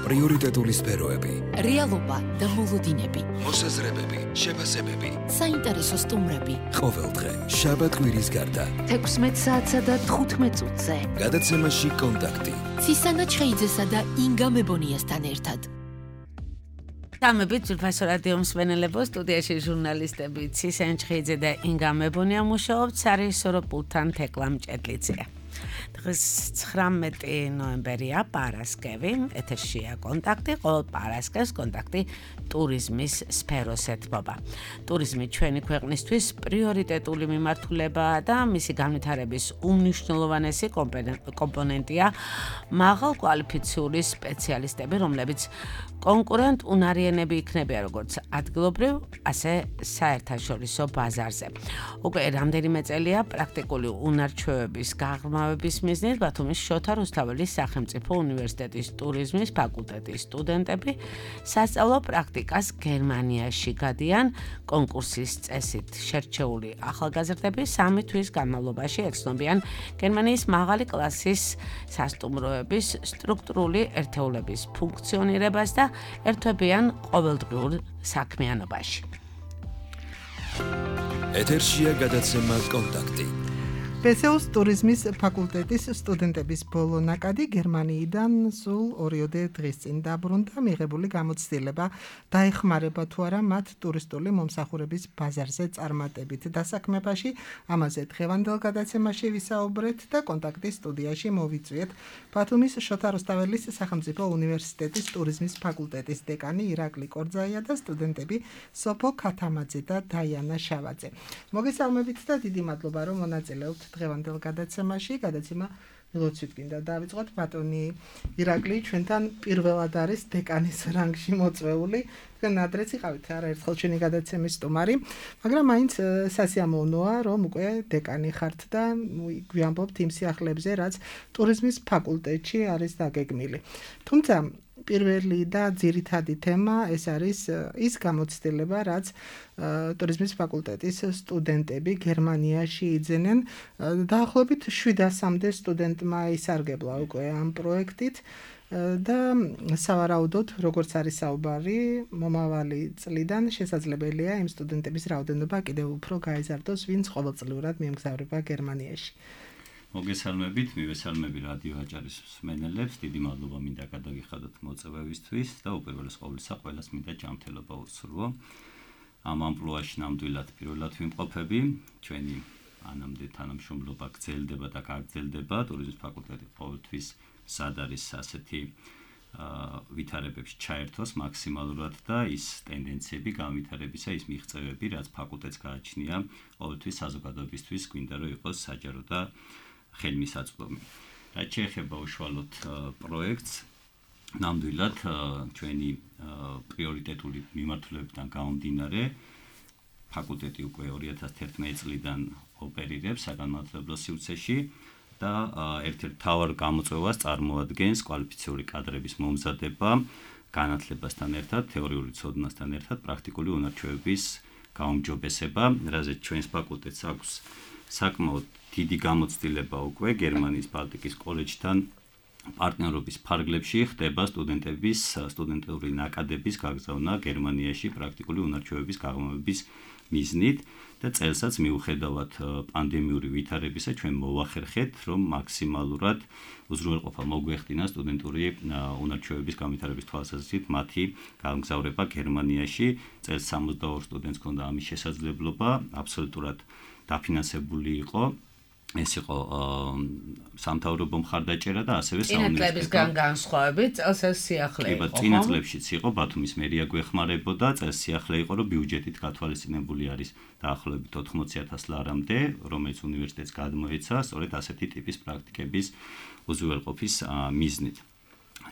პრიორიტეტული სფეროები, რეალობა და მოლოდინები, მოსაზრებები, შეფასებები, საინტერესო სტუმრები. ყოველდღე შაბათ-კვირის გარდა 16 საათსა და 15 წუთზე. გადაცემაში კონტაქტი. ცისანა ჩხეიძესა და ინგა მებონიასთან ერთად. გამებით ძვირფასო რადიო მსმენელებო, სტუდიაში ჟურნალისტები ცისანა ჩხეიძე და ინგა მებონია მუშაობთ სარეჟისორო პულტთან თეკლა მჭედლიძეა. დღეს 19 ნოემბერია, პარასკევი, ეთერშია კონტაქტი, ყოველ პარასკევს კონტაქტი ტურიზმის სფეროს ეთმობა. ტურიზმი ჩვენი ქვეყნისთვის პრიორიტეტული მიმართულებაა და მისი განვითარების უმნიშვნელოვანესი კომპონენტია მაღალ კვალიფიციური სპეციალისტები, რომლებიც კონკურენტ უნარიანები იქნებიან როგორც ადგილობრივ, ასე საერთაშორისო ბაზარზე. უკვე რამდენიმე წელია პრაქტიკული უნარჩვევების გაღრმავების მიზნით ბათუმის შოთა რუსთაველის სახელმწიფო უნივერსიტეტის ტურიზმის ფაკულტეტის სტუდენტები სასწავლო პრაქტიკას გერმანიაში გადიან კონკურსის წესით შერჩეული ახალგაზრდები 3 თვის განმავლობაში ეცნობიან გერმანიის მაღალი კლასის სასტუმროების სტრუქტურული ერთეულების ფუნქციონირებას და ერთვებიან ყოველდღიურ საქმიანობაში. ეთერშია გადაცემა კონტაქტი. ბესეუს ტურიზმის ფაკულტეტის სტუდენტების ბოლო ნაკადი გერმანიიდან სულ 2 დღის წინ დაბრუნდა. მიღებული გამოცდილება დაეხმარება თუ არა მათ ტურისტული მომსახურების ბაზარზე წარმატებით დასაქმებაში. ამაზე დღევანდელ გადაცემაში ვისაუბრეთ და კონტაქტის სტუდიაში მოვიწვიეთ ბათუმის შოთა რუსთაველის სახელმწიფო უნივერსიტეტის ტურიზმის ფაკულტეტის დეკანი ირაკლი კორძაია და სტუდენტები სოფო ქათამაძე და დაიანა შავაძე. მოგესალმებით და დიდი მადლობა რომ მონაწილეობთ დღევანდელ გადაცემაში. გადაცემა ველოცით გინდა დავიწყოთ. ბატონი ირაკლი ჩვენთან პირველად არის დეკანის რანგში მოწვეული. თქვენ ადრეც იყავით არაერთხელ ჩვენი გადაცემის სტუმარი, მაგრამ მაინც სასიამოვნოა რომ უკვე დეკანი ხართ და გვიამბობთ იმ სიახლეებზე, რაც ტურიზმის ფაკულტეტში არის დაგეგმილი. თუმცა პირველი და ძირითადი თემა ეს არის ის გამოცდილება, რაც ტურიზმის ფაკულტეტის სტუდენტები გერმანიაში იძენენ. დაახლოებით 700-მდე სტუდენტმა ისარგებლა უკვე ამ პროექტით და სავარაუდოდ, როგორც არის საუბარი, მომავალი წლიდან შესაძლებელია იმ სტუდენტების რაოდენობა კიდევ უფრო გაიზარდოს, ვინც ყოველწლიურად მიემგზავრება გერმანიაში. მოგესალმებით, მივესალმები რადიო აჭარის მსმენელებს, დიდი მადლობა მინდა გადაგიხადოთ მოწვევისთვის და უპირველეს ყოვლისა ყველას მინდა ჯანმრთელობა უსურვო. ამ ამპლუაში ნამდვილად პირველად ვიმყოფები, ჩვენი ანამდე თანამშრომლობა გრძელდება და გაგრძელდება, ტურიზმის ფაკულტეტი ყოველთვის სად არის ასეთი ვითარებებში ჩაერთოს მაქსიმალურად და ის ტენდენციები განვითარებისა, ის მიღწევები, რაც ფაკულტეტს გააჩნია, ყოველთვის საზოგადოებისთვის გვინდა რომ იყოს საჯარო და ხელმისაწვდომი. რაც შეეხება უშუალოდ პროექტს, ნამდვილად ჩვენი პრიორიტეტული მიმართულებებიდან გამომდინარე, ფაკულტეტი უკვე 2011 წლიდან ოპერირებს საგანმანათლებლო სივრცეში და ერთ-ერთ მთავარ გამოწვევას წარმოადგენს კვალიფიციური კადრების მომზადება, განათლებასთან ერთად, თეორიული ცოდნასთან ერთად, პრაქტიკული უნარჩვევების გაუმჯობესება, რაზეც ჩვენს ფაკულტეტს აქვს საკმაოდ დიდი გამოცდილება უკვე გერმანიის ბალტიკის კოლეჯთან პარტნიორობის ფარგლებში ხდება სტუდენტების სტუდენტური ნაკადების გაგზავნა გერმანიაში პრაქტიკული უნარჩვევების გაღრმავების მიზნით და წელსაც მიუხედავად პანდემიური ვითარებისა ჩვენ მოვახერხეთ რომ მაქსიმალურად უზრუნველყოფა მოგვეხდინა სტუდენტური უნარჩვევების განვითარების თვალსაზრისით მათი გამგზავრება გერმანიაში. წელს 62 სტუდენტს ჰქონდა ამის შესაძლებლობა, აბსოლუტურად დაფინანსებული იყო. ეს იყო სამთავრობო მხარდაჭერა და ასევე საუნივერსიტეტო განსხვავებით წელს ეს სიახლე იყო. წინა წლებშიც იყო ბათუმის მერია გვეხმარებოდა, წელს სიახლე იყო რომ ბიუჯეტით გათვალისწინებული არის დაახლოებით 80,000 ლარამდე, რომელიც უნივერსიტეტს გადმოეცა სწორედ ასეთი ტიპის პრაქტიკების უზრუნველყოფის მიზნით.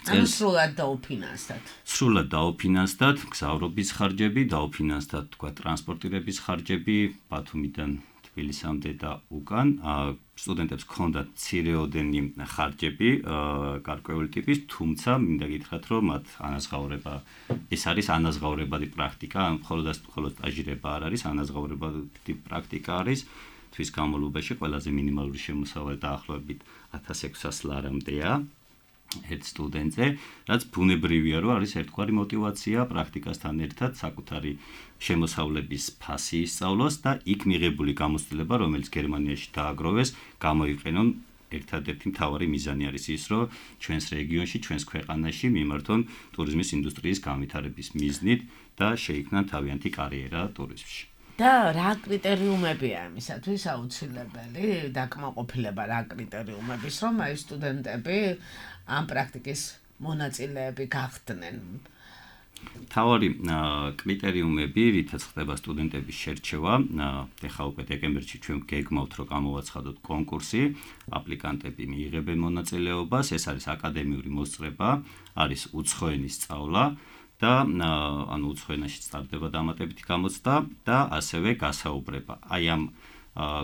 სრულად დაუფინანსდათ. სრულად დაუფინანსდათ გზავრობის ხარჯები, დაუფინანსდათ თქვა ტრანსპორტირების ხარჯები ბათუმიდან თბილისამდე და უკან. სტუდენტებს ჰქონდათ მცირეოდენი ხარჯები გარკვეული ტიპის, თუმცა მინდა გითხრათ, რომ მათ ანაზღაურება ეს არის ანაზღაურებადი პრაქტიკა, მხოლოდ სტაჟირება არ არის, ანაზღაურებადი პრაქტიკა არის. თვის განმავლობაში ყველაზე მინიმალური შემოსავალი დაახლოებით 1600 ლარამდეა. ერთ სტუდენტზე, რაც ბუნებრივია, რომ არის ერთგვარი мотиваცია პრაქტიკასთან ერთად საკუთარი შემოსავლების ფასი ისწავლოს და იქ მიღებული გამოცდილება, რომელიც გერმანიაში დააგროვეს, გამოიყენონ ერთადერთი მთავარი მიზანი არის ის, რომ ჩვენს რეგიონში, ჩვენს ქვეყანაში მიმართონ ტურიზმის ინდუსტრიის განვითარების მიზნით და შეიქმნან თავიანთი კარიერა ტურიზმში. და რა კრიტერიუმებია ამისათვის აუცილებელი დაკმაყოფილება რა კრიტერიუმების, რომ აი სტუდენტები ამ პრაქტიკის მონაწილეები გახდნენ? თავარი კრიტერიუმები, რითაც ხდება სტუდენტების შერჩევა, ეხლა უკვე დეკემბერში ჩვენ გეგმავთ, რომ გამოვაცხადოთ კონკურსი, აპლიკანტები მიიღებენ მონაწილეობას, ეს არის აკადემიური მოსწრება, არის უცხოენის სწავლა და ანუ უცხოენაში სტარდება დამატებითი გამოცდა და ასევე გასაუბრება. აი ამ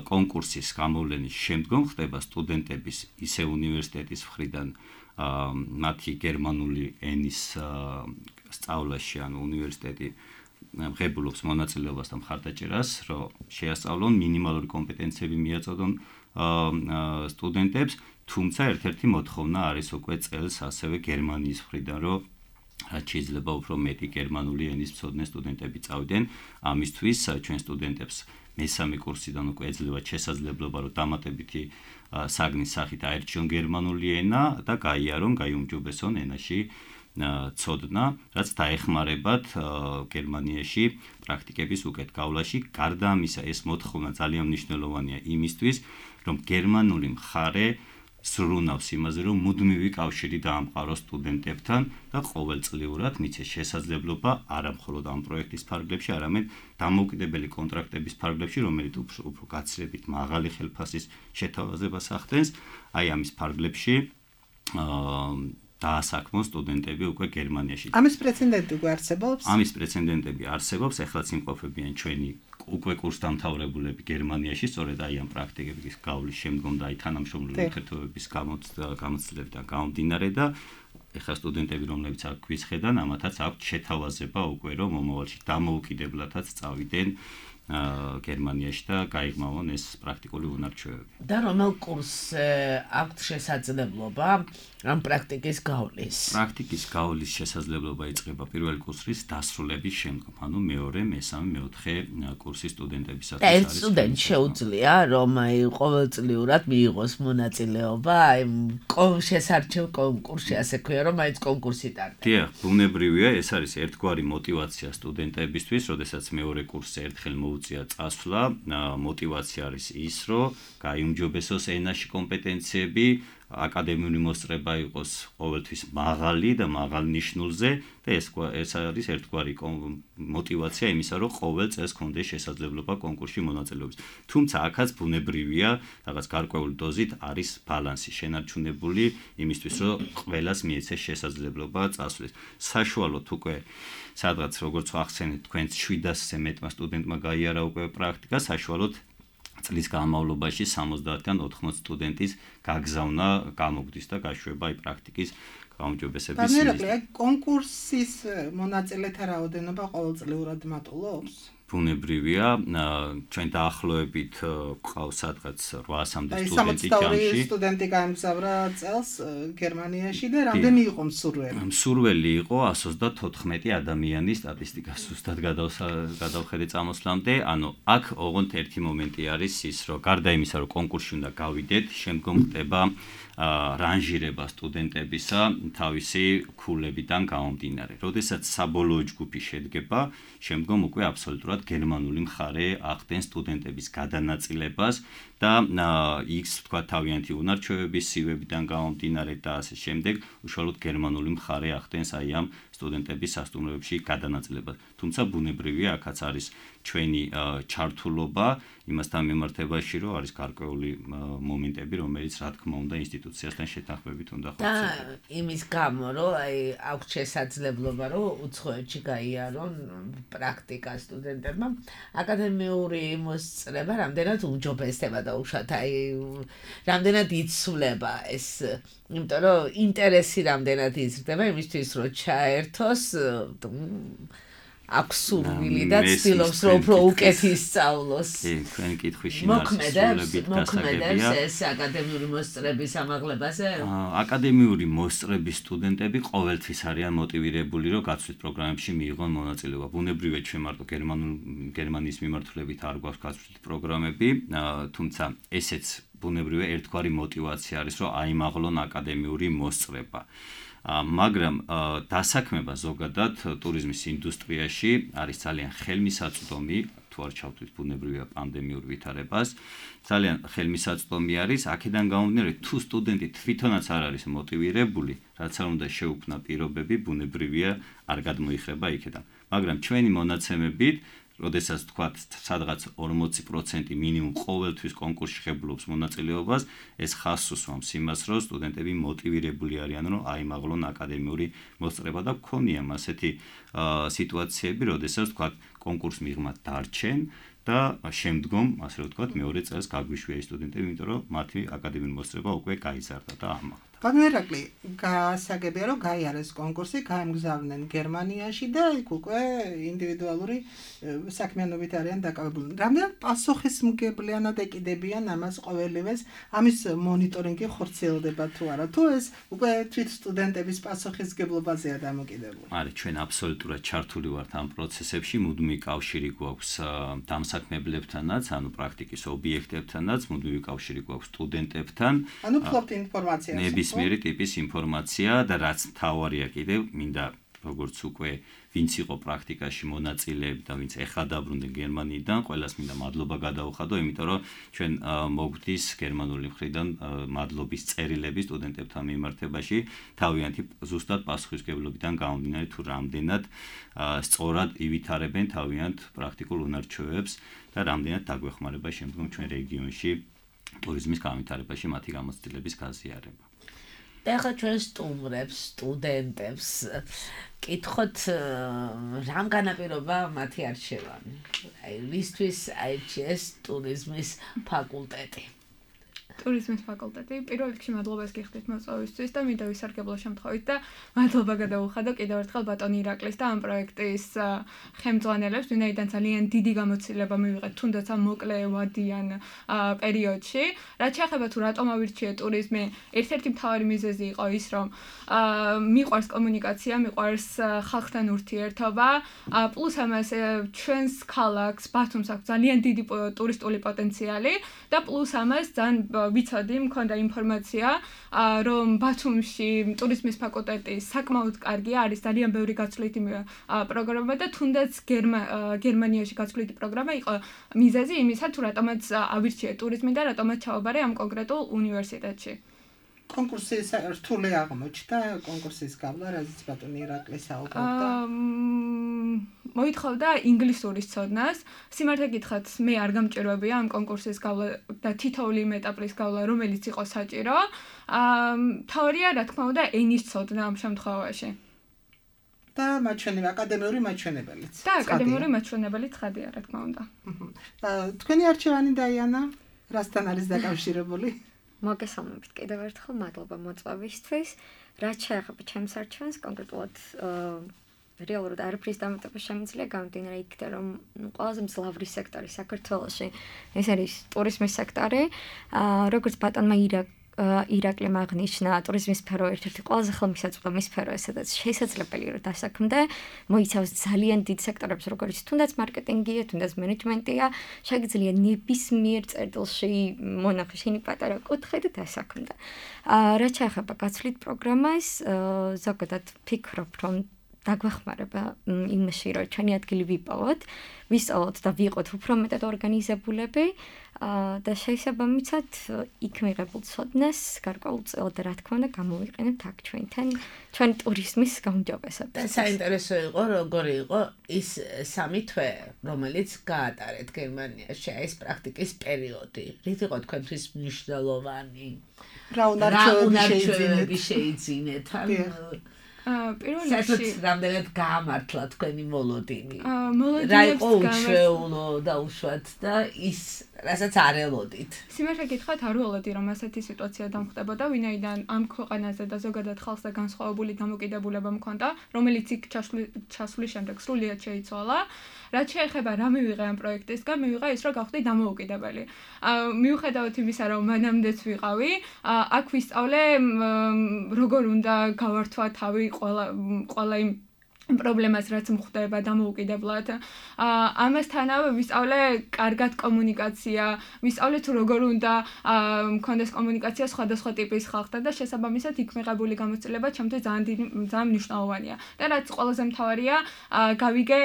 კონკურსის გამოვლენის შემდგომ ხდება სტუდენტების ისე უნივერსიტეტის მხრიდან მათი გერმანული ენის სწავლაში, ანუ უნივერსიტეტი ღებულობს მონაწილეობას და მხარდაჭერას, რომ შეასწავლონ მინიმალური კომპეტენციები მიაწოდონ სტუდენტებს, თუმცა ერთ-ერთი მოთხოვნა არის უკვე წელს ასევე გერმანიის მხრიდან, რომ რაც შეიძლება უფრო მეტი გერმანული ენის მცოდნე სტუდენტები წავიდნენ, ამისთვის ჩვენ სტუდენტებს მესამე კურსიდან უკვე ეძლევათ შესაძლებლობა, რომ დამატებითი საგნის სახით აერჩიონ გერმანული ენა და გაიარონ, გაიუმჯობესონ ენაში ცოდნა, რაც დაეხმარებათ გერმანიაში პრაქტიკების უკეთ გავლაში. გარდა ამისა, ეს მოთხოვნა ძალიან მნიშვნელოვანია იმისთვის, რომ გერმანული მხარე სრუნავს იმაზე, რომ მუდმივი კავშირი დაამყაროს სტუდენტებთან და ყოველწლიურად მიცეს შესაძლებლობა არა მხოლოდ ამ პროექტის ფარგლებში, არამედ დამოუკიდებელი კონტრაქტების ფარგლებში, რომელიც უფრო გაცილებით მაღალი ხელფასის შეთავაზებას ახდენს, აი ამის ფარგლებში დაასაქმოს სტუდენტები უკვე გერმანიაში. ამის პრეცედენტი უკვე არსებობს? ამის პრეცედენტები არსებობს, ეხლაც იმყოფებიან ჩვენი უკვე კურსდამთავრებულები გერმანიაში, სწორედ აი ამ პრაქტიკების გავლის შემდგომ და აი თანამშრომლური ურთიერთობების გამოცდილებიდან გამომდინარე და ეხლა სტუდენტები, რომლებიც აქ გვიცხედან, ამათაც აქვთ შეთავაზება უკვე, რომ მომავალში დამოუკიდებლადაც წავიდნენ გერმანიაში და გაიგმავონ ეს პრაქტიკული უნარჩვევები. და რომელ კურსს აქვთ შესაძლებლობა ამ პრაქტიკის გავლის? პრაქტიკის გავლის შესაძლებლობა იწყება პირველი კურსის დასრულების შემდგომ, ანუ მეორე, მესამე, მეოთხე კურსის სტუდენტებისათვის და ერთ სტუდენტს შეუძლია, რომ აი ყოველწლიურად მიიღოს მონაწილეობა აი შესარჩევ კონკურსში, ასე ქვია, რომ მაინც კონკურსი ტარდება. დიახ, ბუნებრივია, ეს არის ერთგვარი мотиваცია სტუდენტებისთვის, როდესაც მეორე კურსზე ერთხელ მოუწია წასვლა, мотиваცია არის ის, რომ გაიუმჯობესოს ენაში კომპეტენციები, აკადემიური მოსწრება იყოს ყოველთვის მაღალი და მაღალ ნიშნულზე და ეს არის ერთგვარი мотиваცია იმისა, რომ ყოველ წელს გქონდეს შესაძლებლობა კონკურსში მონაწილეობის. თუმცა აქაც ბუნებრივია, რაღაც გარკვეული დოზით არის ბალანსი შენარჩუნებული იმისთვის, რომ ყველას მიეცეს შესაძლებლობა წასვლის. საშუალოდ უკვე სადღაც როგორც ახსენეთ, თქვენს 700-ზე მეტმა სტუდენტმა გაიარა უკვე პრაქტიკა, საშუალოდ წლის განმავლობაში 70-დან 80 სტუდენტის გაგზავნა გამოგვდის და გაშვება აი პრაქტიკის გაუმჯობესების მიზნით. კონკურსის მონაწილეთა რაოდენობა ყოველწლიურად მატულობს? ბუნებრივია, ჩვენ დაახლოებით ყავს სადღაც 800-მდე სტუდენტი ჯამში. 62 სტუდენტი გაემგზავრა წელს გერმანიაში და რამდენი იყო მსურველი? მსურველი იყო 134 ადამიანი სტატისტიკას ზუსტად გადავხედე წამოსვლამდე. ანუ აქ ოღონდ ერთი მომენტი არის ის, რომ გარდა იმისა, რომ კონკურსში უნდა გავიდეთ, შემდგომ ხდება რანჟირება სტუდენტებისა თავისი ქულებიდან გამომდინარე. როდესაც საბოლოო ჯგუფი შედგება, შემდგომ უკვე აბსოლუტურად გერმანული მხარე ახდენს სტუდენტების გადანაწილებას და იქს თქვა თავიანთი უნარჩვევების სივებიდან გამომდინარე და ასე შემდეგ, უშუალოდ გერმანული მხარე ახდენს აი ამ სტუდენტების სასტუმროებში გადანაწილებას. თუმცა ბუნებრივია, აქაც არის ჩვენი ჩართულობა იმასთან მიმართებაში, რომ არის გარკვეული მომენტები, რომელიც რა თქმა უნდა ინსტიტუციასთან შეთანხმებით უნდა ხორციელდეს. და იმის გამო, რომ აი აქვს შესაძლებლობა, რომ უცხოეთში გაიარონ პრაქტიკა სტუდენტებმა, აკადემიური მოსწრება რამდენად უმჯობესდება და უშუალოდ აი რამდენად იცვლება ეს, იმიტომ რომ ინტერესი რამდენად იზრდება იმისთვის, რომ ჩაერთოს აქვს სურვილი და ცდილობს რომ უფრო უკეთ ისწავლოს. თქვენი კითხვის შინაარსი მოქმედებს ეს აკადემიური მოსწრების ამაღლებაზე? აკადემიური მოსწრების სტუდენტები ყოველთვის არიან მოტივირებული, რომ გაცვლით პროგრამებში მიიღონ მონაწილეობა. ბუნებრივია ჩვენ მარტო გერმანიის მიმართულებით არ გვაქვს გაცვლით პროგრამები, თუმცა ესეც ბუნებრივია ერთგვარი მოტივაცია არის, რომ აიმაღლონ აკადემიური მოსწრება. მაგრამ დასაქმება ზოგადად ტურიზმის ინდუსტრიაში არის ძალიან ხელმისაწვდომი, თუ არ ჩავთვლით ბუნებრივია პანდემიურ ვითარებას, ძალიან ხელმისაწვდომი არის, აქედან გამომდინარე, თუ სტუდენტი თვითონაც არ არის მოტივირებული, რაც არ უნდა შეუქმნა პირობები, ბუნებრივია არ გადმოიხრება იქედან. მაგრამ ჩვენი მონაცემებით როდესაც თქვათ სადღაც 40% მინიმუმ ყოველთვის კონკურსში ღებულობს მონაწილეობას, ეს ხაზს უსვამს იმას, რომ სტუდენტები მოტივირებული არიან, რომ აიმაღლონ აკადემიური მოსწრება და გქონია ასეთი სიტუაციები, როდესაც თქვათ კონკურს მიღმა დარჩენ და შემდგომ, ასე რომ ვთქვათ, მეორე წელს გაგვიშვია სტუდენტები, იმიტომ რომ მათი აკადემიური მოსწრება უკვე გაიზარდა და ამაღლა. ბატონო ირაკლი, გასაგებია რომ გაიარეს კონკურსი, გაემგზავრნენ გერმანიაში და იქ უკვე ინდივიდუალური საქმიანობით არიან დაკავებული. რამდენად პასუხისმგებლიანად ეკიდებიან ამას ყოველივეს, ამის მონიტორინგი ხორციელდება თუ არა, თუ ეს უკვე თვით სტუდენტების პასუხისმგებლობაზეა დამოკიდებული? არის, ჩვენ აბსოლუტურად ჩართული ვართ ამ პროცესებში, მუდმივი კავშირი გვაქვს დამსაქმებლებთანაც, ანუ პრაქტიკის ობიექტებთანაც, მუდმივი კავშირი გვაქვს სტუდენტებთან. ანუ ფლობთ ინფორმაციას. ნებისმიერი ტიპის ინფორმაცია და რაც მთავარია კიდევ, მინდა როგორც უკვე ვინც იყო პრაქტიკაში მონაწილეები და ვინც ეხლა დაბრუნდნენ გერმანიიდან, ყველას მინდა მადლობა გადაუხადო, იმიტომ რომ ჩვენ მოგდის გერმანული მხრიდან მადლობის წერილები სტუდენტებთან მიმართებაში, თავიანთი ზუსტად პასუხისმგებლობიდან გამომდინარე, თუ რამდენად სწორად ივითარებენ თავიანთ პრაქტიკულ უნარჩვევებს და რამდენად დაგვეხმარება შემდგომ ჩვენ რეგიონში ტურიზმის განვითარებაში მათი გამოცდილების გაზიარება. და ახლა ჩვენ სტუმრებს, სტუდენტებს კითხოთ რამ განაპირობა მათი არჩევანი. აი, ვისთვის აირჩიეს ტურიზმის ფაკულტეტი? ტურიზმის ფაკულტეტი. პირველ რიგში მადლობას გიხდით მოწვევისთვის და მინდა ვისარგებლო შემთხვევით და მადლობა გადაუხადო კიდევ ერთხელ ბატონ ირაკლის და ამ პროექტის ხელმძღვანელებს, ვინაიდან ძალიან დიდი გამოცდილება მივიღეთ თუნდაც ამ მოკლე ვადიან პერიოდში. რაც შეეხება თუ რატომ ავირჩიე ტურიზმი, ერთ-ერთი მთავარი მიზეზი იყო ის, რომ მიყვარს კომუნიკაცია, მიყვარს ხალხთან ურთიერთობა, პლუს ამას ჩვენს ქალაქს ბათუმს აქვს ძალიან დიდი ტურისტული პოტენციალი და პლუს ამას ძალიან ვიცოდი, მქონდა ინფორმაცია, რომ ბათუმში ტურიზმის ფაკულტეტი საკმაოდ კარგია, არის ძალიან ბევრი გაცვლითი პროგრამა და თუნდაც გერმანიაში გაცვლითი პროგრამა იყო მიზეზი იმისა, თუ რატომაც ავირჩიე ტურიზმი და რატომაც ჩავაბარე ამ კონკრეტულ უნივერსიტეტში. კონკურსი რთული აღმოჩნდა, კონკურსის გავლა, რაზეც ბატონი ირაკლი საუბრობდა. მოითხოვდა ინგლისურის ცოდნას. სიმართლე გითხრათ, მე არ გამჭირვებია ამ კონკურსის გავლა და თითოეული იმ ეტაპის გავლა, რომელიც იყო საჭირო. თავარია, რა თქმა უნდა, ენის ცოდნა ამ შემთხვევაში. და მაჩვენებელი, აკადემიური მაჩვენებელიც. და აკადემიური მაჩვენებელი ცხადია, რა თქმა უნდა. თქვენი არჩევანი დაიანა, რასთან არის დაკავშირებული? მოგესალმებით კიდევ ერთხელ, მადლობა მოწვევისთვის. რაც შეეხება ჩემს არჩევანს, კონკრეტულად რეალურად არაფრის დამატება შემიძლია გამომდინარე იქიდან, რომ ყველაზე მძლავრი სექტორი საქართველოში ეს არის ტურიზმის სექტორი. როგორც ბატონმა ირაკლიმ აღნიშნა, ტურიზმის სფერო ერთ-ერთი ყველაზე ხელმისაწვდომი სფეროა, სადაც შესაძლებელია რომ დასაქმდე, მოიცავს ძალიან დიდ სექტორებს, როგორც თუნდაც მარკეტინგია, თუნდაც მენეჯმენტია, შეგიძლია ნებისმიერ წერტილში მონახე შენი პატარა კუთხე და დასაქმდე. რაც შეეხება გაცვლით პროგრამას, ზოგადად ფიქრობ, რომ დაგვეხმარება იმაში, რომ ჩვენი ადგილი ვიპოვოთ, ვისწავლოთ და ვიყოთ უფრო მეტად ორგანიზებულები და შესაბამისად იქ მიღებულ ცოდნას გარკვეულწილად რა თქმა უნდა გამოვიყენებთ აქ ჩვენ ტურიზმის გაუმჯობესებაში. და საინტერესო იყო, როგორი იყო ის 3 თვე, რომელიც გაატარეთ გერმანიაში, ეს პრაქტიკის პერიოდი. რით იყო თქვენთვის მნიშვნელოვანი? რა უნარჩვევები შეიძინეთ? პირველ საერთოდ რიგში რამდენად გაამართლა თქვენი მოლოდინი? რა მოლოდინებს იყო უჩვეულო და უშუალოდ და ის რასაც არ ელოდით? სიმართლე გითხრათ, არ ველოდი რომ ასეთი სიტუაცია დამხდებოდა, ვინაიდან ამ ქვეყანაზე და ზოგადად ხალხზე განსხვავებული დამოკიდებულება მქონდა, რომელიც იქ ჩასვლის შემდეგ სრულიად შეიცვალა. რაც შეეხება რა მივიღე ამ პროექტისგან, მივიღე ის, რომ გავხდი დამოუკიდებელი. მიუხედავად იმისა, რომ მანამდეც ვიყავი, აქ ვისწავლე როგორ უნდა გავართვა თავი ყველა იმ პრობლემას რაც მხდება დამოუკიდებლად. ამასთანავე ვისწავლე კარგად კომუნიკაცია, ვისწავლე თუ როგორ უნდა მქონდეს კომუნიკაცია სხვადასხვა ტიპის ხალხთან და შესაბამისად იქ მიღებული გამოცდილება ჩემთვის ძალიან მნიშვნელოვანია. და რაც ყველაზე მთავარია, გავიგე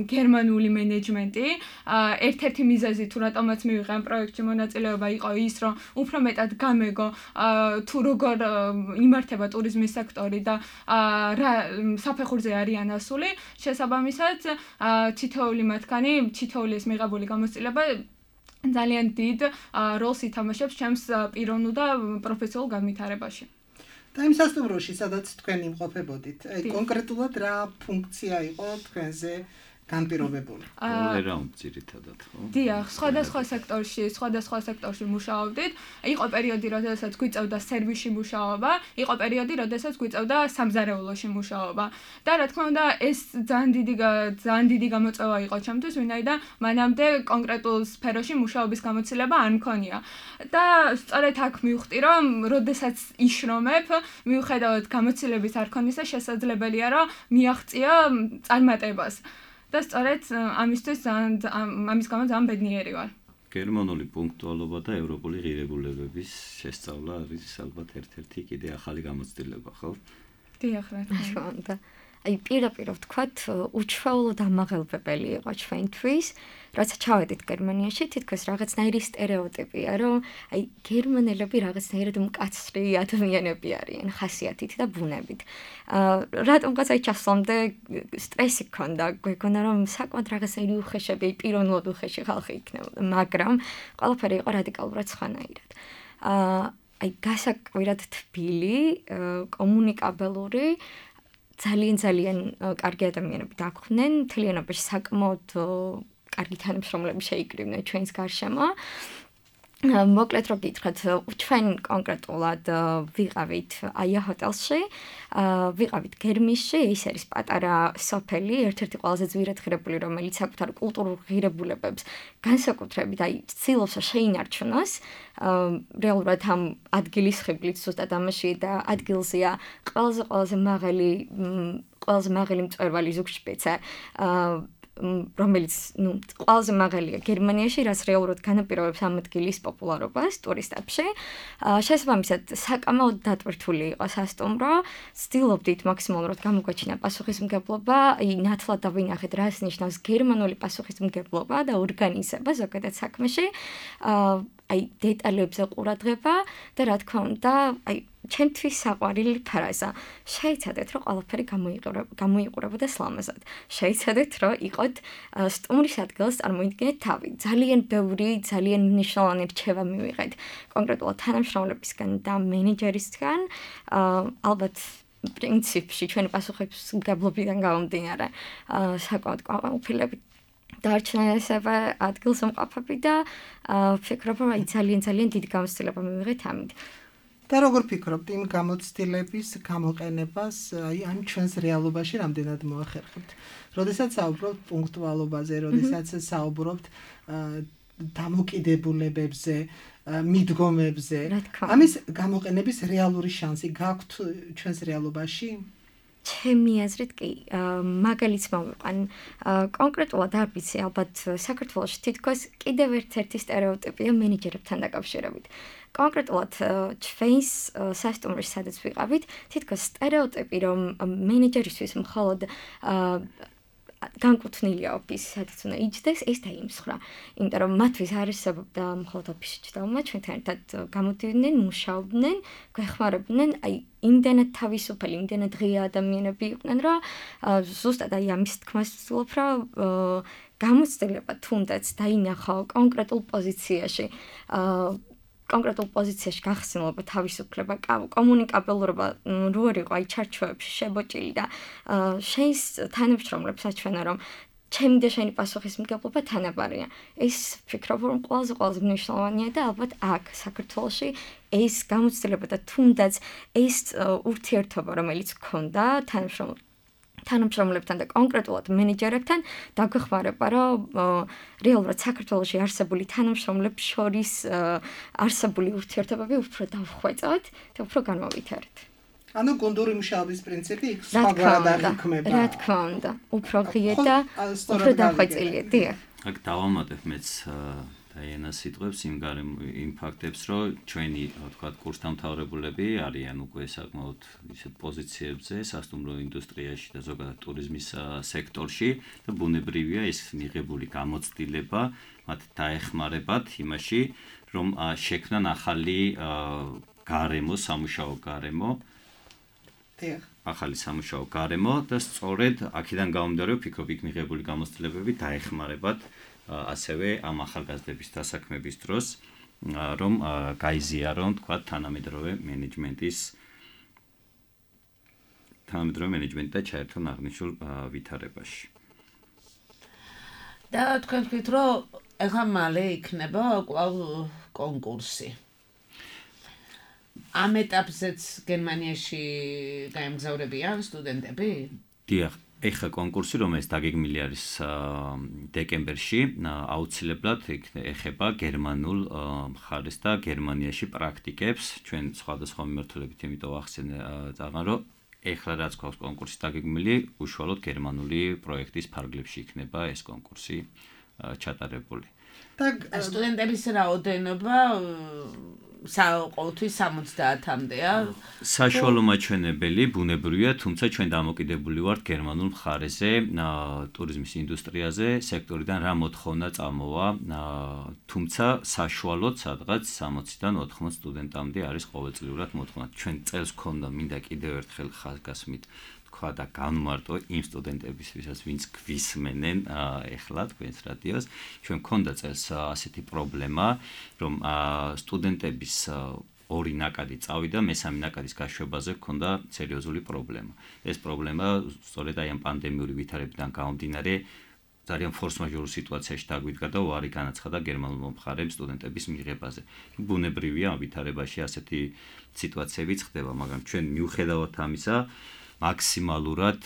გერმანული მენეჯმენტი. ერთ-ერთი მიზეზი თუ რატომაც მივიღე ამ პროექტში მონაწილეობა იყო ის, რომ უფრო მეტად გამეგო თუ როგორ იმართება ტურიზმის სექტორი და რა საფეხურზე არიან ასული, შესაბამისად თითოეული მათგანი, თითოეული ეს მიღებული გამოცდილება ძალიან დიდ როლს ითამაშებს ჩემს პიროვნულ და პროფესიულ განვითარებაში. და იმ სასტუმროში, სადაც თქვენ იმყოფებოდით, კონკრეტულად რა ფუნქცია იყო თქვენზე განპირობებული? all-around ძირითადად, ხო? დიახ, სხვადასხვა სექტორში მუშაობდით. იყო პერიოდი, როდესაც გვიწევდა სერვისში მუშაობა, იყო პერიოდი, როდესაც გვიწევდა სამზარეულოში მუშაობა. და რა თქმა უნდა, ეს ძალიან დიდი გამოწვევა იყო ჩემთვის, ვინაიდან მანამდე კონკრეტულ სფეროში მუშაობის გამოცდილება არ მქონია. და სწორედ აქ მივხვდი, რომ როდესაც იშრომებ, მიუხედავად გამოცდილების არ ქონისა, შესაძლებელია, რომ მიაღწია წარმატებას. და სწორედ ამისთვის ამის გამო ძალიან ბედნიერი ვარ. გერმანული პუნქტუალობა და ევროპული ღირებულებების შესწავლა არის ალბათ ერთ-ერთი კიდე ახალი გამოცდილება, ხო? დიახ, რა თქმა უნდა. აი პირდაპირ ვთქვათ, უჩვეულოდ ამაღელვებელი იყო ჩვენთვის, როცა ჩავედით გერმანიაში, თითქოს რაღაცნაირი სტერეოტიპია, რომ აი გერმანელები რაღაცნაირად მკაცრი ადამიანები არიან, ხასიათით და ბუნებით. რატომღაც აი ჩასვლამდე სტრესი გქონდა, გვეგონა რომ საკმაოდ რაღაცნაირი უხეშები, პიროვნულად უხეში ხალხი იქნებოდა, მაგრამ ყველაფერი იყო რადიკალურად სხვანაირად. აი გასაკვირად თბილი, კომუნიკაბელური ძალიან კარგი ადამიანები დაგვხვდნენ, მთლიანობაში საკმაოდ კარგი თანამშრომლები შეიკრიბნენ ჩვენს გარშემო. მოკლედ რო გითხრათ, ჩვენ კონკრეტულად ვიყავით აია ჰოტელში, ვიყავით გერმისში, ის არის პატარა სოფელი, ერთ-ერთი ყველაზე ძვირად ღირებული, რომელიც საკუთარ კულტურულ ღირებულებებს განსაკუთრებით აი ცდილობს შეინარჩუნოს. რეალურად ამ ადგილის ხიბლით ზუსტად ამაში და ადგილზეა ყველაზე მაღალი მწვერვალი ზუგშპიცე, რომელიც ყველაზე მაღალია გერმანიაში, რაც რეალურად განაპირობებს ამ ადგილის პოპულარობას ტურისტებში. შესაბამისად, საკამაოდ დატვირთული იყო სასტუმრო, ვცდილობდით მაქსიმალურად გამოგვაჩინა პასუხისმგებლობა, ნათლად დავინახეთ, რას ნიშნავს გერმანული პასუხისმგებლობა და ორგანიზება ზოგადად საქმეში, აი დეტალებზე ყურადღება და რა თქმა უნდა, აი ჩემთვის საყვარელი ფრაზა. შეიცადეთ, რომ ყველაფერი გამოიყურებოდა სლამაზად. შეიცადეთ, რომ იყოთ სტუმრის ადგილას წარმოიდგინეთ თავი. ძალიან ბევრი, ძალიან მნიშვნელოვანი რჩევა მივიღეთ კონკრეტულად თანამშრომლებისგან და მენეჯერისგან. ალბათ პრინციპში ჩვენი პასუხისმგებლობიდან გამომდინარე, საკმაოდ ყოფილები დარჩნენ ესევე ადგილსამყოფები და ვფიქრობ, რომ აი ძალიან დიდი გამოცდილება მივიღეთ ამით. და როგორ ფიქრობთ იმ გამოცდილების გამოყენებას აი ამ ჩვენს რეალობაში რამდენად მოახერხებთ? როდესაც საუბრობთ პუნქტუალობაზე, როდესაც საუბრობთ დამოკიდებულებებზე, მიდგომებზე, ამის გამოყენების რეალური შანსი გაქვთ ჩვენს რეალობაში? ჩემი აზრით კი, მაგალითს მოვიყვან. კონკრეტულად არ ვიცი, ალბათ საქართველოში თითქოს კიდევ ერთ-ერთი სტერეოტიპია მენეჯერებთან დაკავშირებით. კონკრეტულად ჩვენს სასტუმროში სადაც ვიყავით, თითქოს სტერეოტიპი, რომ მენეჯერისთვის მხოლოდ განკუთვნილია ოფისი, სადაც უნდა იჯდეს, ეს დაიმსხვრა. იმიტომ რომ მათთვის არ არსებობდა მხოლოდ ოფისში ჭდაობა, ჩვენთან ერთად გამოდიოდნენ, მუშაობდნენ, გვეხმარებდნენ, აი იმდენად თავისუფალი, იმდენად ღია ადამიანები იყვნენ, რომ ზუსტად აი ამის თქმას ვცდილობ, რომ გამოცდილება თუნდაც დაინახო კონკრეტულ პოზიციაში, კონკრეტულ პოზიციაში გახსნილობა, თავისუფლება, კომუნიკაბელურობა რო არ იყო აი ჩარჩოებში შებოჭილი და შეის თანამშრომლებს აჩვენა რომ ჩემი და შენი პასუხისმგებლობა თანაბარია. ეს ვფიქრობ რომ ყველაზე მნიშვნელოვანია და ალბათ აქ საქართველოში ეს გამოცდილება და თუნდაც ეს ურთიერთობა რომელიც გქონდა თანამშრომლებთან და კონკრეტულად მენეჯერებთან დაგვეხმარება რომ რეალურად საქართველოში არსებული თანამშრომლებს შორის არსებული ურთიერთობები უფრო დავხვეწოთ და უფრო განმოვითაროთ. ანუ გუნდური მუშაობის პრინციპი იქ სხვაგვარად არ იქმება. რა თქმა უნდა, უფრო ღია და უფრო დახვეწილია. დიახ. აქ დავამატებ მეც დაიანას სიტყვებს იმ ფაქტებს, რომ ჩვენი, თქვათ, კურსდამთავრებულები არიან უკვე საკმაოდ ისეთ პოზიციებზე სასტუმრო ინდუსტრიაში და ზოგადად ტურიზმის სექტორში და ბუნებრივია ეს მიღებული გამოცდილება მათ დაეხმარებათ იმაში, რომ შექმნან ახალი გარემო, სამუშაო გარემო ახალი სამუშაო გარემო და სწორედ აქედან გამომდინარე ვფიქრობ იქ მიღებული გამოცდილებები დაეხმარებათ ასევე ამ ახალგაზრდების დასაქმების დროს რომ გაიზიარონ თქვა თანამედროვე მენეჯმენტი და ჩაერთონ აღნიშნულ ვითარებაში. და თქვენ ვთქვით რომ ეხლა მალე იქნება კვლავ კონკურსი. ამ ეტაპზეც გერმანიაში გაემგზავრებიან სტუდენტები? დიახ, ეხლა კონკურსი რომელიც დაგეგმილი არის დეკემბერში, აუცილებლად ეხება გერმანულ მხარეს და გერმანიაში პრაქტიკებს. ჩვენ სხვადასხვა მიმართულებით იმიტომ ვახსენე წაღან რომ ეხლა რაც გვაქვს კონკურსი დაგეგმილი, უშუალოდ გერმანული პროექტის ფარგლებში იქნება ეს კონკურსი ჩატარებული. და სტუდენტების რაოდენობა ყოველთვის 70-მდეა. საშუალო მაჩვენებელი ბუნებრივია, თუმცა ჩვენ დამოკიდებული ვართ გერმანულ მხარეზე, ტურიზმის ინდუსტრიაზე, სექტორიდან რა მოთხოვნა წამოვა, თუმცა საშუალოდ სადღაც 60-დან 80 სტუდენტამდე არის ყოველწლიურად მოთხოვნა. ჩვენ წელს გქონდა მინდა კიდევ ერთხელ ხაზგასმით თქვა და განმარტო იმ სტუდენტებისთვისაც, ვინც გვისმენენ ეხლა თქვენს რადიოს, ჩვენ გქონდა წელს ასეთი პრობლემა, რომ სტუდენტების ორი ნაკადი წავიდა, მესამე ნაკადის გაშვებაზე გქონდა სერიოზული პრობლემა. ეს პრობლემა სწორედ აი ამ პანდემიური ვითარებიდან გამომდინარე ძალიან ფორს-მაჟორულ სიტუაციაში დაგვიდგა და უარი განაცხადა გერმანულ მომხარემ სტუდენტების მიღებაზე. ბუნებრივია ამ ვითარებაში ასეთი სიტუაციებიც ხდება, მაგრამ ჩვენ მიუხედავად ამისა მაქსიმალურად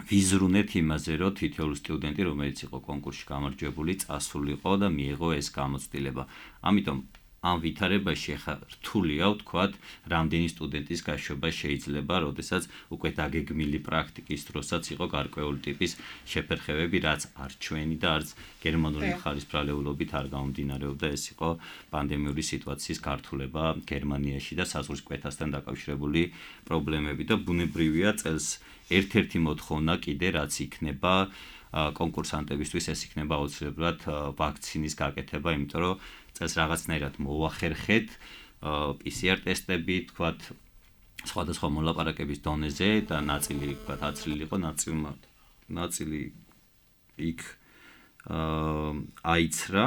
ვიზრუნეთ იმაზე, რომ თითოეული სტუდენტი, რომელიც იყო კონკურსში გამარჯვებული, წასულიყო და მიიღო ეს გამოცდილება. ამიტომ ამ ვითარებაში ახლა რთულია ვთქვათ, რამდენი სტუდენტის გაშვება შეიძლება, როდესაც უკვე დაგეგმილი პრაქტიკის დროსაც იყო გარკვეული ტიპის შეფერხებები, რაც არ ჩვენი და არც გერმანული მხარის ბრალეულობით არ გამომდინარეობდა, ეს იყო პანდემიური სიტუაციის გართულება გერმანიაში და საზღვრის კვეთასთან დაკავშირებული პრობლემები და ბუნებრივია წელს ერთ-ერთი მოთხოვნა კიდე რაც იქნება კონკურსანტებისთვის ეს იქნება აუცილებლად ვაქცინის გაკეთება, იმიტომ რომ წელს რაღაცნაირად მოვახერხეთ PCR ტესტები, თქვათ, სხვადასხვა მოლაპარაკების დონეზე და ნაწილი, თქვათ, აცლილი იყო, ნაწილი იქ აიცრა.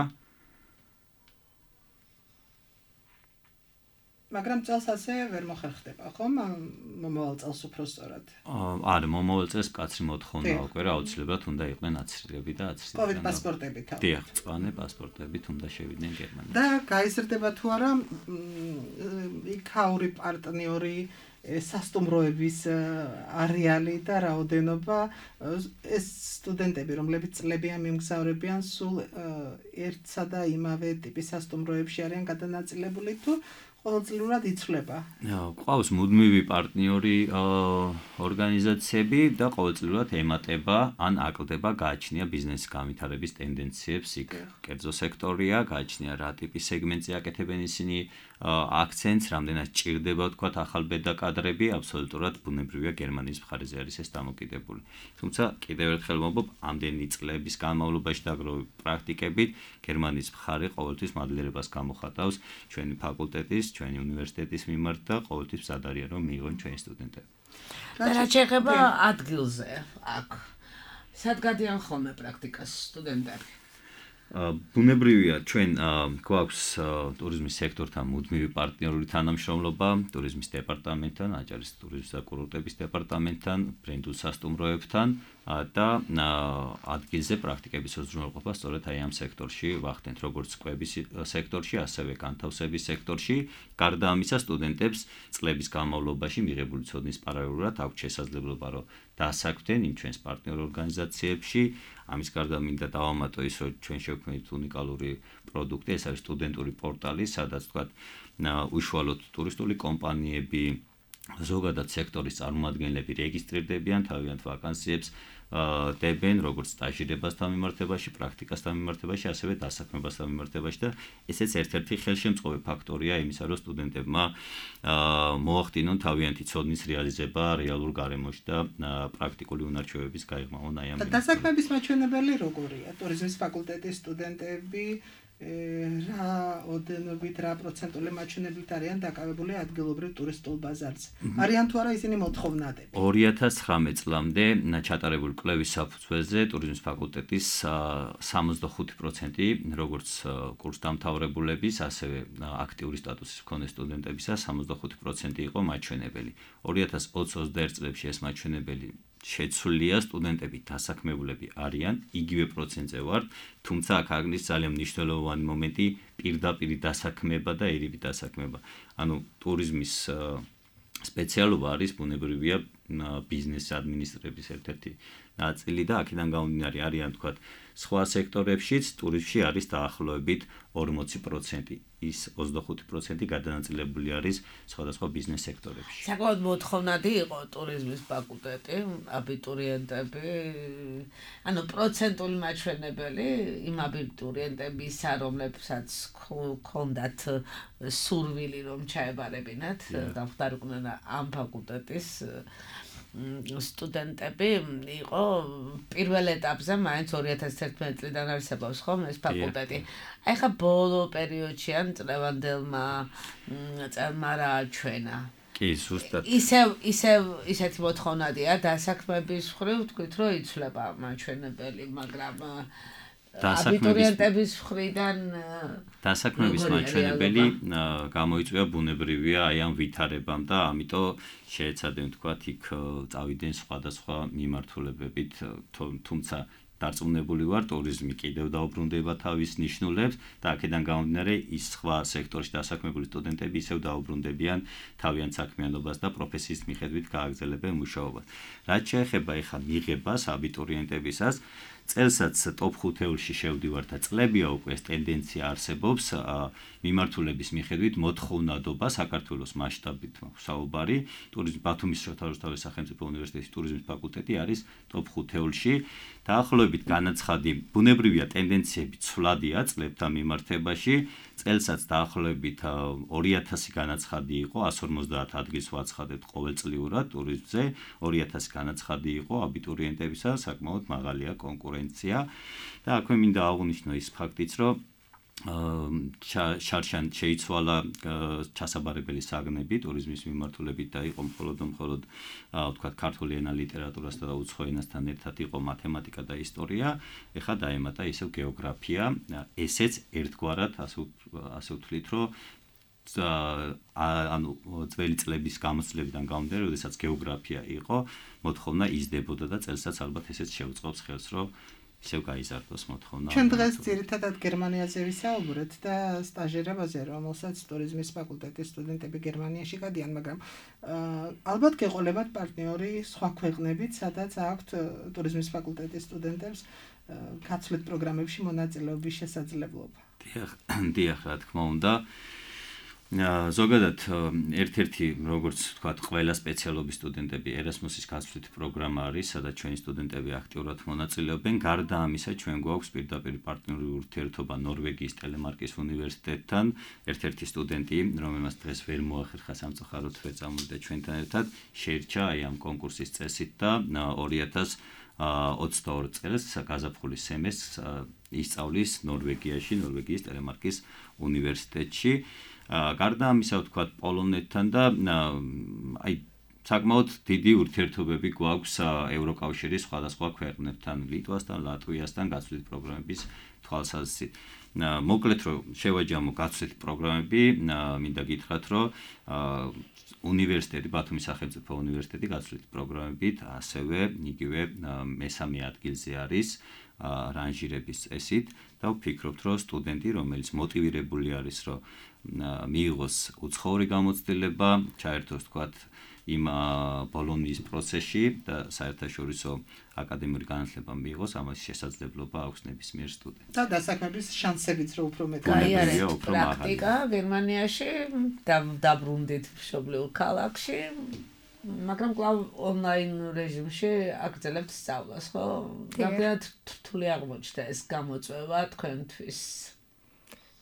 მაგრამ წელს ასე ვერ მოხერხდება, ხომ? მომავალ წელს უფრო სწორად. არა, მომავალ წელს კაცრი მოთხოვნა უკვე რა აუცილებლად უნდა იყვნენ აცრილები და აცრილები. COVID პასპორტებით. დიახ, მწვანე პასპორტებით უნდა შევიდნენ გერმანიაში. და გაიზრდება თუ არა იქაური პარტნიორი სასტუმროების არეალი და რაოდენობა ეს სტუდენტები, რომლებიც წლებიან მიმგზავრებიან სულ ერთსა და იმავე ტიპის სასტუმროებში არიან გადანაწილებული თუ ყოველწლიურად იცვლება. ყავს მუდმივი პარტნიორი ორგანიზაციები და ყოველწლიურად ემატება ან აკლდება გააჩნია ბიზნესის განვითარების ტენდენციებს იქ. კერძო სექტორია, გააჩნია რა ტიპის სეგმენტზე აკეთებენ ისინი აქცენტს, რამდენად ჭირდება ვთქვათ ახალბედა კადრები, აბსოლუტურად ბუნებრივია გერმანიის მხარეზე არის ეს დამოკიდებული. თუმცა კიდევ ერთხელ ვამბობ, ამდენი წლების განმავლობაში დაგროვებული პრაქტიკებით გერმანიის მხარე ყოველთვის მადლიერებას გამოხატავს ჩვენი ფაკულტეტის, ჩვენი უნივერსიტეტის მიმართ და ყოველთვის მზად არიან რომ მიიღონ ჩვენი სტუდენტები. და რა შეეხება ადგილზე აქ? სად გადიან ხოლმე პრაქტიკას სტუდენტები? ბუნებრივია ჩვენ გვაქვს ტურიზმის სექტორთან მუდმივი პარტნიორული თანამშრომლობა ტურიზმის დეპარტამენტთან, აჭარის ტურიზმის და კურორტების დეპარტამენტთან, ბრენდულ სასტუმროებთან და ადგილზე პრაქტიკების უზრუნველყოფა სწორედ აი ამ სექტორში ვახდენთ, როგორც კვების სექტორში, ასევე განთავსების სექტორში. გარდა ამისა, სტუდენტებს წლების განმავლობაში მიღებული ცოდნის პარალელურად აქვთ შესაძლებლობა, რომ დაასაქმდნენ იმ ჩვენს პარტნიორ ორგანიზაციებში. ამის გარდა მინდა დავამატო ის, რომ ჩვენ შევქმნით უნიკალური პროდუქტი, ეს არის სტუდენტური პორტალი, სადაც თქვათ უშუალოდ ტურისტული კომპანიები, ზოგადად სექტორის წარმომადგენლები რეგისტრირდებიან, თავიანთ ვაკანსიებს დებენ, როგორც სტაჟირებასთან მიმართებაში, პრაქტიკასთან მიმართებაში, ასევე დასაქმებასთან მიმართებაში და ესეც ერთ-ერთი ხელშემწყობი ფაქტორია იმისა, რომ სტუდენტებმა მოახდინონ თავიანთი ცოდნის რეალიზება რეალურ გარემოში და პრაქტიკული უნარჩვევების გაიღმავონ აი ამ. დასაქმების მაჩვენებელი როგორია? ტურიზმის ფაკულტეტის სტუდენტები რა ოდენობით რა პროცენტული მაჩვენებლით არიან დაკავებული ადგილობრივ ტურისტულ ბაზარზე? არიან თუ არა ისინი მოთხოვნადები? 2019 წლამდე ჩატარებული კვლევის საფუძველზე ტურიზმის ფაკულტეტის 65% როგორც კურსდამთავრებულების, ასევე აქტიური სტატუსის მქონე სტუდენტებისა 65% იყო მაჩვენებელი. 2020-21 წლებში ეს მაჩვენებელი შეცვლილია, სტუდენტები დასაქმებულები არიან, იგივე პროცენტზე ვართ, თუმცა აქ არის ძალიან მნიშვნელოვანი მომენტი პირდაპირ დასაქმება და ერიბი დასაქმება. ანუ ტურიზმის სპეციალობა არის ბუნებრივია ბიზნეს ადმინისტრების ერთ-ერთი ნაწილი და აქედან გამომდინარე არიან თქვათ სხვა სექტორებშიც, ტურიზმში არის დაახლოებით 40%. ის 25% გადანაწილებული არის სხვადასხვა ბიზნეს სექტორებში. საკმაოდ მოთხოვნადი იყო ტურიზმის ფაკულტეტი, აბიტურიენტები, ანუ პროცენტული მაჩვენებელი იმ აბიტურიენტებისა, რომლებსაც ჰქონდათ სურვილი რომ ჩაებარებინათ, დამხდარიყვნენ ამ ფაკულტეტის სტუდენტები იყო პირველ ეტაპზე მაინც 2011 წლიდან არსებობს ხომ ეს ფაკულტეტი. აი ხა ბოლო პერიოდში ან წლევანდელმა წელმა რა აჩვენა. კი, ზუსტად. ისეთი მოთხოვნადია დასაქმების მხრივ თქვით რომ იცვლება მაჩვენებელი, მაგრამ აბიტურიენტების მხრიდან დასაქმების მაჩვენებელი გამოიწვია ბუნებრივია აი ამ ვითარებამ და ამიტომ შეეცადნენ თქვათ იქ წავიდნენ სხვადასხვა მიმართულებებით, თუმცა დარწმუნებული ვარ, ტურიზმი კიდევ დაუბრუნდება თავის ნიშნულებს და აქედან გამომდინარე ის სხვა სექტორში დასაქმებული სტუდენტები ისევ დაუბრუნდებიან თავიანთ საქმიანობას და პროფესიის მიხედვით გააგრძელებენ მუშაობას. რაც შეეხება ეხლა მიღებას აბიტურიენტებისას, წელსაც ტოპ 5-ში შევდივარ და წლებია უკვე ეს ტენდენცია არსებობს მიმართულების მიხედვით მოთხოვნადობა საქართველოს მასშტაბით საუბარი ტურიზმ ბათუმის შოთავის სახელმწიფო უნივერსიტეტის ტურიზმის ფაკულტეტი არის ტოპ 5-ში დაახლოებით განაცხადი ბუნებრივია ტენდენციები ცვლადია წლებთან მიმართებაში წელსაც დაახლოებით 2000 განაცხადი იყო 150 ადგილს ვაცხადებთ ყოველწლიურად ტურიზმზე 2000 განაცხადი იყო აბიტურიენტებისა საკმაოდ მაღალია კონკურენცია და აქვე მინდა აღვნიშნო ის ფაქტიც რომ შარშან შეიცვალა ჩასაბარებელი საგნები ტურიზმის მიმართულებით და იყო მხოლოდ ვთქვათ ქართული ენა ლიტერატურასთან და უცხო ენასთან ერთად იყო მათემატიკა და ისტორია ეხლა დაემატა ისევ გეოგრაფია ესეც ერთგვარად ასე ვთვლით რომ ანუ ძველი წლების გამოცდილებიდან გამომდინარე როდესაც გეოგრაფია იყო მოთხოვნა იზრდებოდა და წელსაც ალბათ ესეც შეუწყობს ხელს რომ ისევ გაიზარდოს მოთხოვნა. ჩვენ დღეს ძირითადად გერმანიაზე ვისაუბრეთ და სტაჟირებაზე, რომელსაც ტურიზმის ფაკულტეტის სტუდენტები გერმანიაში გადიან, მაგრამ ალბათ გეყოლებათ პარტნიორი სხვა ქვეყნებით, სადაც აქვთ ტურიზმის ფაკულტეტის სტუდენტებს გაცვლით პროგრამებში მონაწილეობის შესაძლებლობა. დიახ, რა თქმა უნდა. ზოგადად ერთ-ერთი როგორც ვთქვათ ყველა სპეციალობის სტუდენტები ერასმუსის გაცვლით პროგრამა არის სადაც ჩვენი სტუდენტები აქტიურად მონაწილეობენ გარდა ამისა ჩვენ გვაქვს პირდაპირ პარტნიორული ურთიერთობა ნორვეგიის ტელემარკის უნივერსიტეტთან ერთ-ერთი სტუდენტი რომელმაც დღეს ვერ მოახერხა სამწუხაროდ ვერ წამოვიდა ჩვენთან ერთად შეირჩა აი ამ კონკურსის წესით და 2022 წელს გაზაფხულის სემესტრს ისწავლის ნორვეგიაში ნორვეგიის ტელემარკის უნივერსიტეტში გარდა ამისა ვთქვათ პოლონეთთან და აი საკმაოდ დიდი ურთიერთობები გვაქვს ევროკავშირის სხვადასხვა ქვეყნებთან, ლიტვასთან, ლატვიასთან გაცვლით პროგრამების თვალსაზრისით. მოკლედ რომ შევაჯამო გაცვლით პროგრამები, მინდა გითხრათ, რომ უნივერსიტეტი, ბათუმის სახელმწიფო უნივერსიტეტი გაცვლით პროგრამებით ასევე იგივე მესამე ადგილზე არის რანჟირების წესით და ვფიქრობთ, რომ სტუდენტი, რომელიც მოტივირებული არის, რომ მიიღოს უცხოური გამოცდილება, ჩაერთოს თქვათ იმ ბოლონიის პროცესში და საერთაშორისო აკადემიური განათლება მიიღოს, ამას შესაძლებლობა აქვს ნებისმიერ სტუდენტს. და დასაქმების შანსებიც რო უფრო მეტი. პრაქტიკა გერმანიაში დაბრუნდით მშობლიურ ქალაქში, მაგრამ კვლავ ონლაინ რეჟიმში აგრძელებთ სწავლას, ხო? რამდენად რთული აღმოჩნდა ეს გამოწვევა თქვენთვის?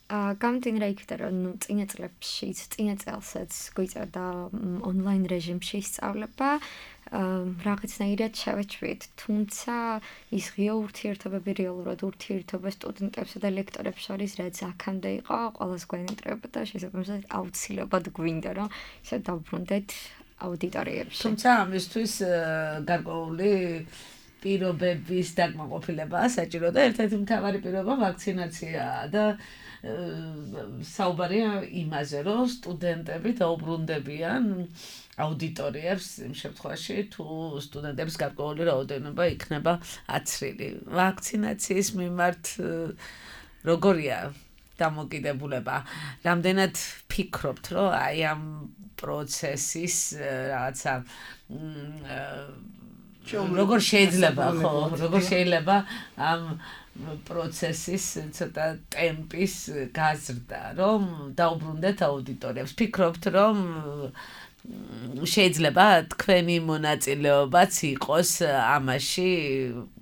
გამომდინარე იქიდან, რომ წინა წელსაც გვიწევდა ონლაინ რეჟიმში სწავლება, რაღაცნაირად შევეჩვით, თუმცა ის ღია ურთიერთობები რეალურად ურთიერთობა სტუდენტებსა და ლექტორებს შორის, რაც აქამდე იყო, ყველას გვენატრებოდა, შესაბამისად აუცილებლად გვინდა, რომ ისე დავბრუნდეთ აუდიტორიებში. თუმცა ამისთვის გარკვეული პირობების დაკმაყოფილებაა საჭირო და ერთ-ერთი მთავარი პირობა ვაქცინაციაა და საუბარია იმაზე, რომ სტუდენტები დაუბრუნდებიან აუდიტორიებს იმ შემთხვევაში, თუ სტუდენტების გარკვეული რაოდენობა იქნება აცრილი. ვაქცინაციის მიმართ როგორია დამოკიდებულება? რამდენად ფიქრობთ, რომ აი ამ პროცესის რაღაცა როგორ შეიძლება ამ პროცესის ცოტა ტემპის გაზრდა, რომ დაუბრუნდეთ აუდიტორიებს. ფიქრობთ, რომ შეიძლება თქვენი მონაწილეობაც იყოს ამაში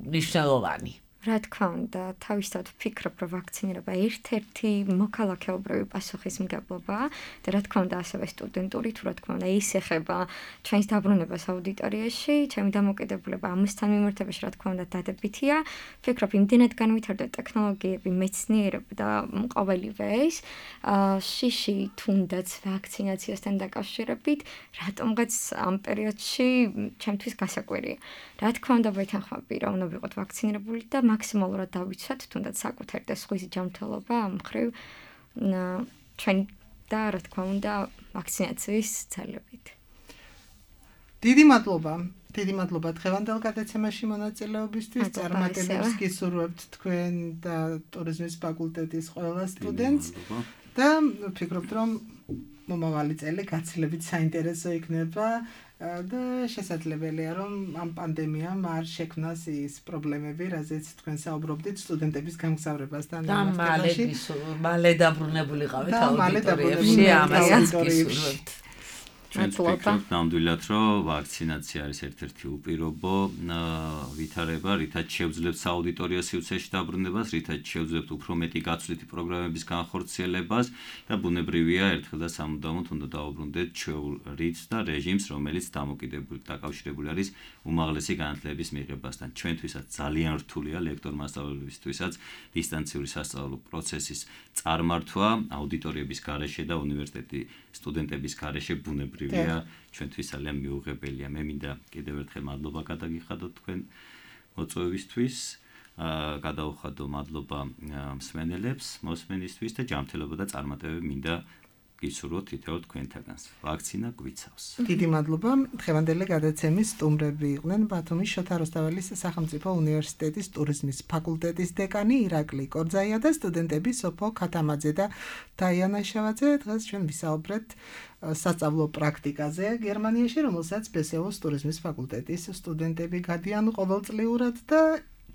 მნიშვნელოვანი? რა თქმა უნდა, თავისთავად ვფიქრობ, რომ ვაქცინირება ერთ-ერთი მოქალაქეობრივი პასუხისმგებლობაა და რა თქმა უნდა, ასევე სტუდენტური, თუ რა თქმა უნდა, ის ეხება ჩვენს დაბრუნებას აუდიტორიაში, ჩემი დამოკიდებულება ამასთან მიმართებაში, რა თქმა უნდა, დადებითია. ვფიქრობ, იმდენად განვითარდა ტექნოლოგიები, მეცნიერება და ყოველივე ეს, შიში თუნდაც ვაქცინაციასთან დაკავშირებით, რატომღაც ამ პერიოდში ჩემთვის გასაკვირია. რა თქმა უნდა, ვეთანხმები, რომ უნდა ვიყოთ ვაქცინირებული და მაქსიმალურად დავიცვათ თუნდაც საკუთარი და სხვისი ჯანმრთელობა ამ მხრივ ჩვენ და რა თქმა უნდა ვაქცინაციის ძალებით. დიდი მადლობა დღევანდელ გადაცემაში მონაწილეობისთვის. წარმატებებს გისურვებთ თქვენ და ტურიზმის ფაკულტეტის ყველა სტუდენტს და ვფიქრობთ, რომ მომავალი წელი გაცილებით საინტერესო იქნება. და შესაძლებელია, რომ ამ პანდემიამ არ შექმნას ის პრობლემები, რაზეც თქვენ საუბრობდით სტუდენტების გამგზავრებასთან მიმართებაში. მალე დაბრუნებულიყავით აუდიტორიებში, ამასაც გისურვებთ. ჩვენც ვფიქრობთ ნამდვილად, რომ ვაქცინაცია არის ერთ-ერთი უპირობო ვითარება, რითაც შევძლებთ სააუდიტორიო სივრცეში დაბრუნებას, რითაც შევძლებთ უფრო მეტი გაცვლითი პროგრამების განხორციელებას და ბუნებრივია ერთხელ და სამუდამოდ უნდა დაუბრუნდეთ ჩვეულ რიტმს და რეჟიმს, რომელიც დაკავშირებული არის უმაღლესი განათლების მიღებასთან. ჩვენთვისაც ძალიან რთულია ლექტორ-მასწავლებლებისთვისაც დისტანციური სასწავლო პროცესის წარმართვა აუდიტორიების გარეშე და უნივერსიტეტის სტუდენტების გარეშე ბუნებრივია, ჩვენთვის ძალიან მიუღებელია. მე მინდა კიდევ ერთხელ მადლობა გადაგიხადოთ თქვენ მოწვევისთვის, გადაუხადო მადლობა მსმენელებს, მოსმენისთვის და ჯანმრთელობა და წარმატებები მინდა გისურვოთ თითოეულ თქვენთაგანს. ვაქცინა გვიცავს. დიდი მადლობა. დღევანდელი გადაცემის სტუმრები იყვნენ ბათუმის შოთა რუსთაველის სახელმწიფო უნივერსიტეტის ტურიზმის ფაკულტეტის დეკანი ირაკლი კორძაია და სტუდენტები სოფო ქათამაძე და დაიანა შევაძე. დღეს ჩვენ ვისაუბრეთ სასწავლო პრაქტიკაზე გერმანიაში, რომელსაც ბესეოს ტურიზმის ფაკულტეტის სტუდენტები გადიან ყოველწლიურად და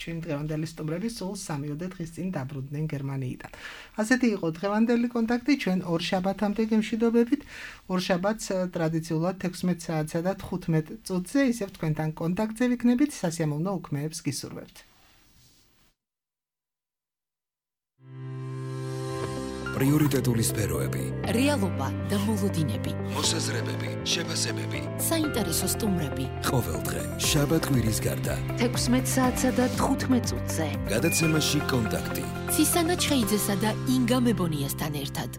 ჩვენ დღევანდელი სტუმრები სულ 3 დღის წინ დაბრუნდნენ გერმანიიდან. ასეთი იყო დღევანდელი კონტაქტი, ჩვენ ორ შაბათამდე გემშვიდობებით. ორ შაბათს ტრადიციულად 16 საათსა და 15 წუთზე ისევ თქვენთან კონტაქტზე ვიქნებით, სასიამოვნო უქმეებს გისურვებთ. პრიორიტეტული სფეროები, რეალობა და მოლოდინები, მოსაზრებები, შეფასებები, საინტერესო სტუმრები. ყოველდღე შაბათ-კვირის გარდა 16 საათსა და 15 წუთზე. გადაცემაში კონტაქტი. ცისანა ჩხეიძესა და ინგა მებონიასთან ერთად.